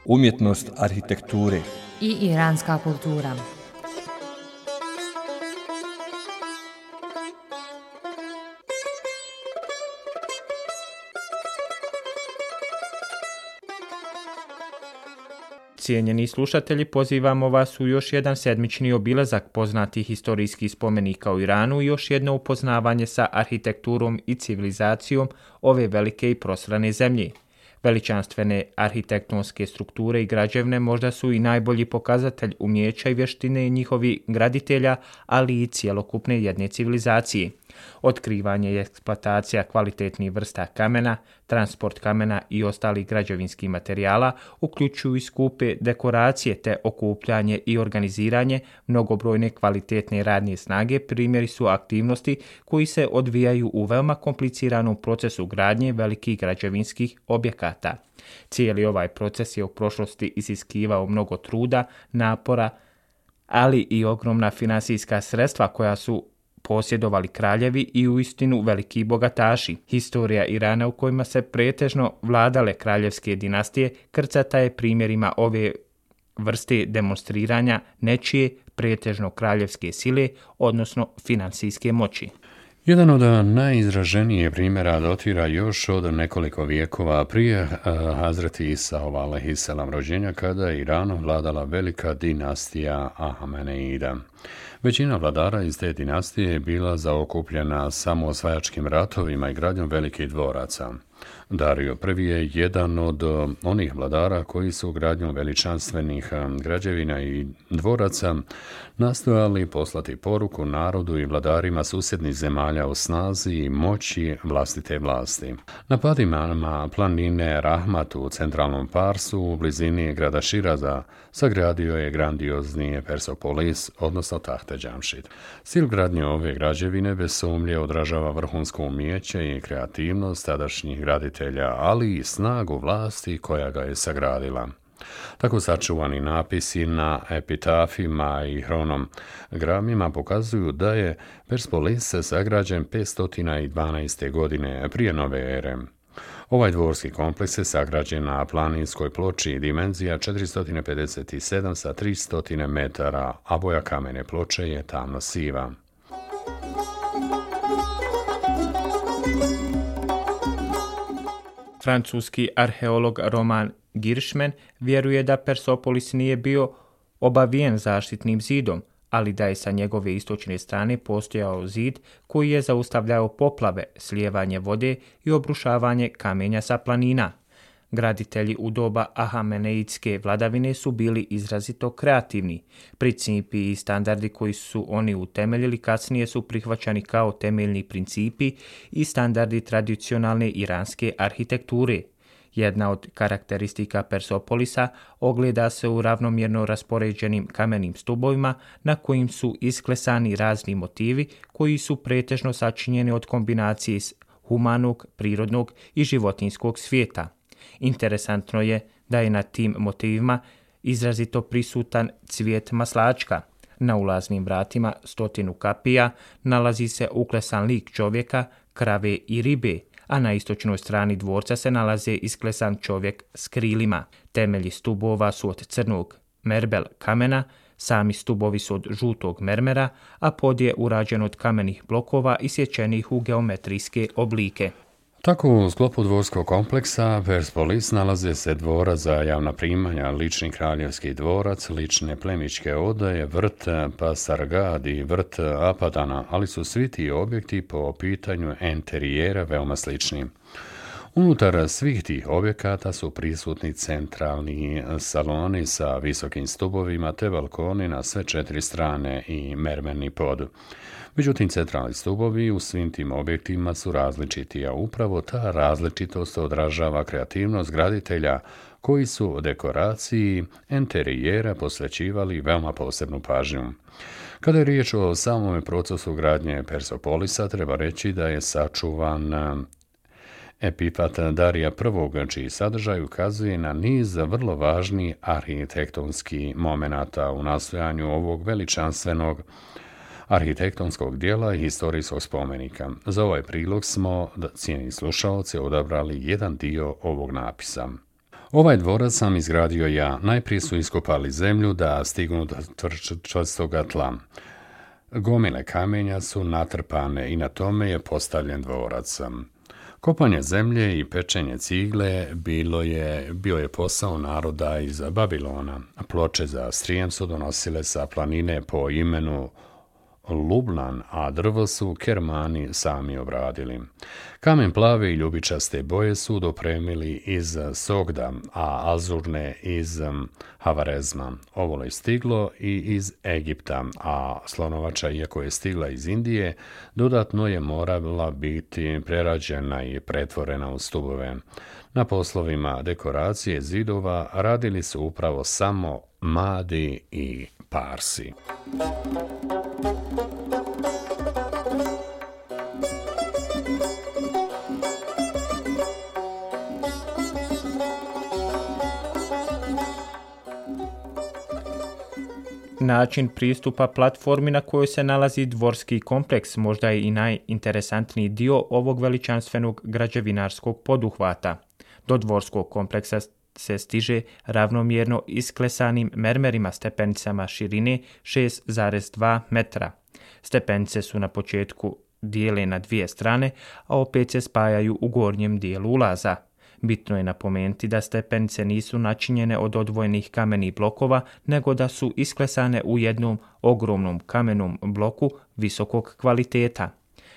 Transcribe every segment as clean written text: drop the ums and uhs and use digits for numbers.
umjetnost arhitekture i iranska kultura. Cijenjeni slušatelji, pozivamo vas u još jedan sedmični obilazak poznatih historijskih spomenika u Iranu i još jedno upoznavanje sa arhitekturom i civilizacijom ove velike i prosrane zemlje. Veličanstvene arhitektonske strukture i građevne možda su i najbolji pokazatelj umijeća i vještine njihovih graditelja, ali i cjelokupne jedne civilizacije. Otkrivanje i eksploatacija kvalitetnih vrsta kamena, transport kamena i ostalih građevinskih materijala uključuju i skupe dekoracije te okupljanje i organiziranje mnogobrojne kvalitetne radne snage primjeri su aktivnosti koji se odvijaju u veoma kompliciranom procesu gradnje velikih građevinskih objekata. Cijeli ovaj proces je u prošlosti iziskivao mnogo truda, napora, ali i ogromna finansijska sredstva koja su posjedovali kraljevi i uistinu veliki bogataši. Historija Irana u kojima se pretežno vladale kraljevske dinastije krcata je primjerima ove vrste demonstriranja nečije pretežno kraljevske sile, odnosno finansijske moći. Jedan od najizraženijih primjera dotira još od nekoliko vijekova prije Hazreti Isaova alejhiselam rođenja, kada je Iranom vladala velika dinastija Ahameneida. Većina vladara iz te dinastije je bila zaokupljena samo osvajačkim ratovima i gradnjom velikih dvoraca. Dario I je jedan od onih vladara koji su gradnjom veličanstvenih građevina i dvoraca nastojali poslati poruku narodu i vladarima susjednih zemalja o snazi i moći vlastite vlasti. Na padima planine Rahmat u centralnom Parsu u blizini grada Širaza sagradio je grandiozni Persepolis, odnosno Tahte Džamšid. Stil gradnje ove građevine bez sumnje odražava vrhunsko umijeće i kreativnost tadašnjih graditelja, ali i snagu vlasti koja ga je sagradila. Tako sačuvani napisi na epitafima i hronogramima pokazuju da je Persepolis sagrađen 512. godine prije nove ere. Ovaj dvorski kompleks je sagrađen na planinskoj ploči dimenzija 457 sa 300 metara, a boja kamene ploče je tamno siva. Francuski arheolog Roman Giršmen vjeruje da Persepolis nije bio obavijen zaštitnim zidom, ali da je sa njegove istočne strane postojao zid koji je zaustavljao poplave, slijevanje vode i obrušavanje kamenja sa planina. Graditelji u doba Ahameneidske vladavine su bili izrazito kreativni. Principi i standardi koji su oni utemeljili kasnije su prihvaćani kao temeljni principi i standardi tradicionalne iranske arhitekture. Jedna od karakteristika Persepolisa ogleda se u ravnomjerno raspoređenim kamenim stubovima na kojim su isklesani razni motivi koji su pretežno sačinjeni od kombinacije humanog, prirodnog i životinjskog svijeta. Interesantno je da je na tim motivima izrazito prisutan cvijet maslačka. Na ulaznim vratima 100 kapija nalazi se uklesan lik čovjeka, krave i ribe, a na istočnoj strani dvorca se nalaze isklesan čovjek s krilima. Temelji stubova su od crnog merbel kamena, sami stubovi su od žutog mermera, a pod je urađen od kamenih blokova isječenih u geometrijske oblike. Tako u sklopu dvorskog kompleksa Persepolis nalaze se dvora za javna primanja, lični kraljevski dvorac, lične plemićke odaje, vrt Pasargad i vrt Apadana, ali su svi ti objekti po pitanju enterijera veoma slični. Unutar svih tih objekata su prisutni centralni saloni sa visokim stubovima te balkoni na sve 4 strane i mermerni pod. Međutim, centralni stubovi u svim tim objektima su različiti, a upravo ta različitost odražava kreativnost graditelja koji su dekoraciji enterijera posvećivali veoma posebnu pažnju. Kada je riječ o samome procesu gradnje Persepolisa, treba reći da je sačuvan epifat Darija I, čiji sadržaj ukazuje na niz vrlo važnih arhitektonskih momenata u nastojanju ovog veličanstvenog arhitektonskog dijela i historijskog spomenika. Za ovaj prilog smo, cijenjeni slušalci, odabrali jedan dio ovog napisa. Ovaj dvorac sam izgradio ja. Najprije su iskopali zemlju da stignu do čvrstoga tla. Gomile kamenja su natrpane i na tome je postavljen dvorac. Kopanje zemlje i pečenje cigle bio je posao naroda iz Babilona. Ploče za strijem su donosile sa planine po imenu Lubnan, a drvo su Kermani sami obradili. Kamen plave i ljubičaste boje su dopremili iz Sogda, a azurne iz Havarezma. Ovo je stiglo i iz Egipta, a slonovača, iako je stigla iz Indije, dodatno je morala biti prerađena i pretvorena u stubove. Na poslovima dekoracije zidova radili su upravo samo Madi i Parsi. Način pristupa platformi na kojoj se nalazi dvorski kompleks možda je i najinteresantniji dio ovog veličanstvenog građevinarskog poduhvata. Do dvorskog kompleksa se stiže ravnomjerno isklesanim mermerima stepenicama širine 6,2 metra. Stepenice su na početku dijele na dvije strane, a opet se spajaju u gornjem dijelu ulaza. Bitno je napomenuti da stepenice nisu načinjene od odvojenih kamenih blokova, nego da su isklesane u jednom ogromnom kamenom bloku visokog kvaliteta.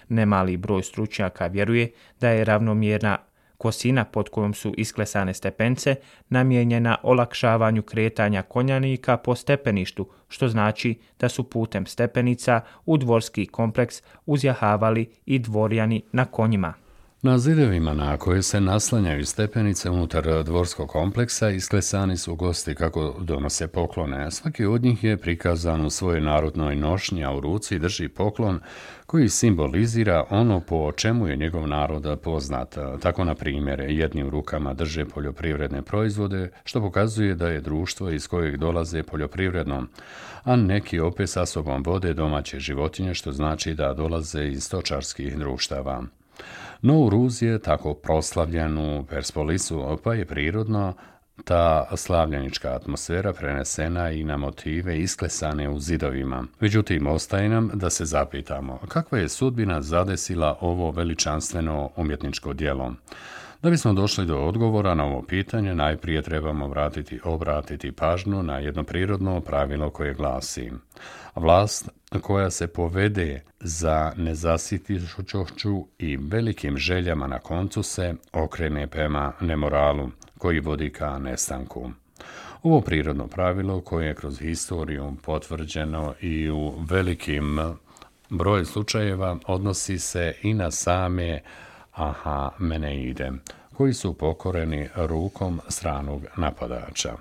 Nemali broj stručnjaka vjeruje da je ravnomjerna kosina pod kojom su isklesane stepenice namijenjena olakšavanju kretanja konjanika po stepeništu, što znači da su putem stepenica u dvorski kompleks uzjahavali i dvorjani na konjima. Na zidovima na koje se naslanjaju stepenice unutar dvorskog kompleksa isklesani su gosti kako donose poklone. Svaki od njih je prikazan u svojoj narodnoj nošnji, a u ruci drži poklon koji simbolizira ono po čemu je njegov narod poznat. Tako, na primjer, jedni u rukama drže poljoprivredne proizvode, što pokazuje da je društvo iz kojeg dolaze poljoprivredno, a neki opet sa sobom vode domaće životinje, što znači da dolaze iz stočarskih društava. No u Ruz je tako proslavljen u Perspolisu, pa je prirodno ta slavljenička atmosfera prenesena i na motive isklesane u zidovima. Međutim, ostaje nam da se zapitamo kakva je sudbina zadesila ovo veličanstveno umjetničko djelo. Da bismo došli do odgovora na ovo pitanje, najprije trebamo obratiti pažnju na jedno prirodno pravilo koje glasi: vlast koja se povede za nezasitišću i velikim željama na koncu se okrene prema nemoralu koji vodi ka nestanku. Ovo prirodno pravilo koje je kroz historiju potvrđeno i u velikim broju slučajeva odnosi se i na same Ahameneide, koji su pokoreni rukom stranog napadača.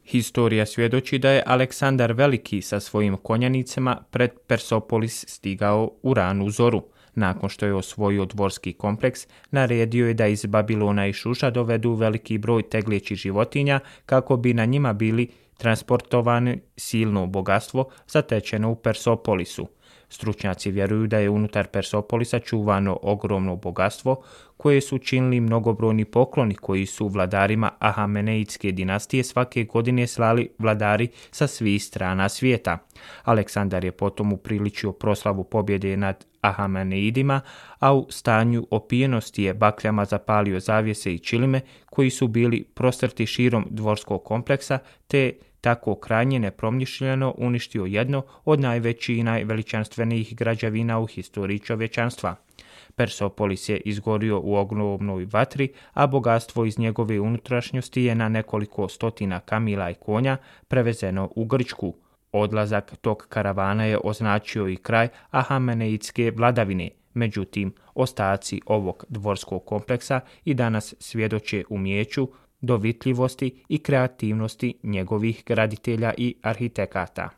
Historija svjedoči da je Aleksandar Veliki sa svojim konjanicama pred Persopolis stigao u ranu zoru. Nakon što je osvojio dvorski kompleks, naredio je da iz Babilona i Šuša dovedu veliki broj tegljećih životinja kako bi na njima bili transportovane silno bogatstvo zatečeno u Persopolisu. Stručnjaci vjeruju da je unutar Persopolisa čuvano ogromno bogatstvo koje su činili mnogobrojni pokloni koji su vladarima Ahameneidske dinastije svake godine slali vladari sa svih strana svijeta. Aleksandar je potom upriličio proslavu pobjede nad Ahameneidima, a u stanju opijenosti je bakljama zapalio zavjese i čilime koji su bili prostrti širom dvorskog kompleksa, te tako krajnje nepromišljeno uništio jedno od najvećih i najveličanstvenijih građevina u historiji čovječanstva. Persopolis je izgorio u ogromnoj vatri, a bogatstvo iz njegove unutrašnjosti je na nekoliko stotina kamila i konja prevezeno u Grčku. Odlazak tog karavana je označio i kraj Ahameneidske vladavine. Međutim, ostaci ovog dvorskog kompleksa i danas svjedoče umijeću, dovitljivosti i kreativnosti njegovih graditelja i arhitekata.